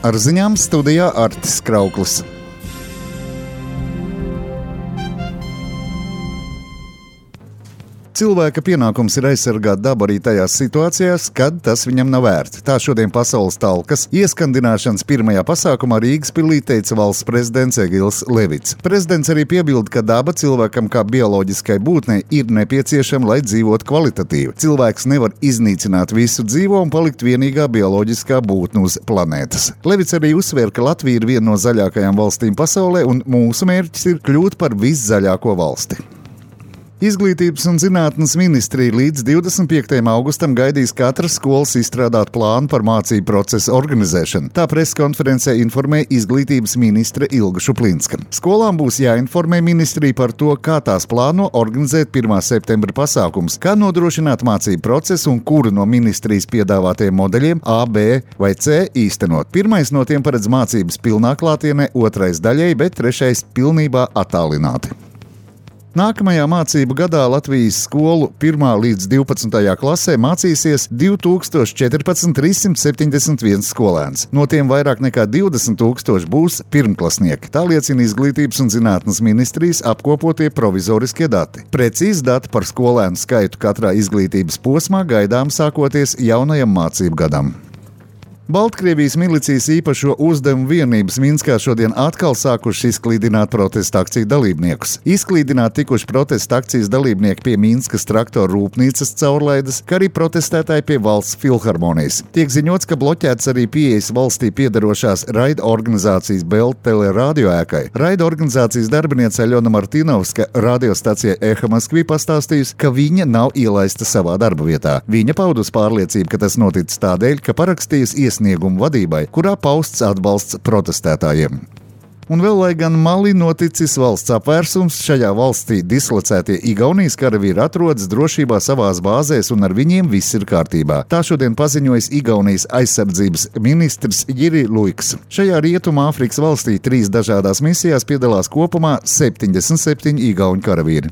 Ar ziņām studijā Artis Krauklis. Cilvēka pienākums ir aizsargāt dabu arī tajās situācijās, kad tas viņam nav vērts. Tā šodien pasaules talkas ieskandināšanas pirmajā pasākumā Rīgas pilī teica valsts prezidents Egils Levits. Prezidents arī piebilda, ka daba cilvēkam kā bioloģiskai būtnei ir nepieciešama, lai dzīvotu kvalitatīvi. Cilvēks nevar iznīcināt visu dzīvo un palikt vienīgā bioloģiskā būtne uz planētas. Levits arī uzsvēra, ka Latvija ir viena no zaļākajām valstīm pasaulē un mūsu mērķis ir kļūt par viszaļāko valsti. Izglītības un zinātnes ministrija līdz 25. augustam gaidīs katras skolas izstrādāt plānu par mācību procesu organizēšanu. Tā preskonferencē informēja izglītības ministre Ilga Šuplinska. Skolām būs jāinformē ministrija par to, kā tās plāno organizēt 1. septembra pasākums, kā nodrošināt mācību procesu un kuru no ministrijas piedāvātajiem modeļiem A, B vai C īstenot. Pirmais no tiem paredz mācības pilnā klātienē, otrais daļēji, bet trešais pilnībā attālināti. Nākamajā mācību gadā Latvijas skolu 1. līdz 12. klasē mācīsies 2014 371 skolēns. No tiem vairāk nekā 20,000 būs pirmklasnieki. Tā liecina Izglītības un zinātnes ministrijas apkopotie provizoriskie dati. Precīzi dati par skolēnu skaitu katrā izglītības posmā gaidām sākoties jaunajam mācību gadam. Baltkrievijas milicijas īpašo uzdevumu vienības Minskā šodien atkal sākuši izklīdināt protesta akciju dalībniekus. Izklīdināt tikuši protesta akcijas dalībnieki pie Minskas traktoru rūpnīcas caurlaides, kā arī protestētāji pie valsts filharmonijas. Tiek ziņots, ka bloķēts arī pieejas valstī piederošās raida organizācijas Belt teleradio ēkai. Raida organizācijas darbiniece Aļona Martinovska radiostacijai Eha Maskvī pastāstījusi, ka viņa nav ielaista savā darba vietā. Viņa paudus pārliecību, ka tas noticis tādēļ, ka parakstījusi iesniegumu vadībai, kurā pausts atbalsts protestētājiem. Un vēl, lai gan Mali noticis valsts apvērsums, šajā valstī dislocētie Igaunijas karavīri atrodas drošībā savās bāzēs un ar viņiem viss ir kārtībā. Tā šodien paziņojis Igaunijas aizsardzības ministrs Jiri Luiks. Šajā Rietumā Āfrikas valstī 3 dažādās misijās piedalās kopumā 77 igauņu karavīri.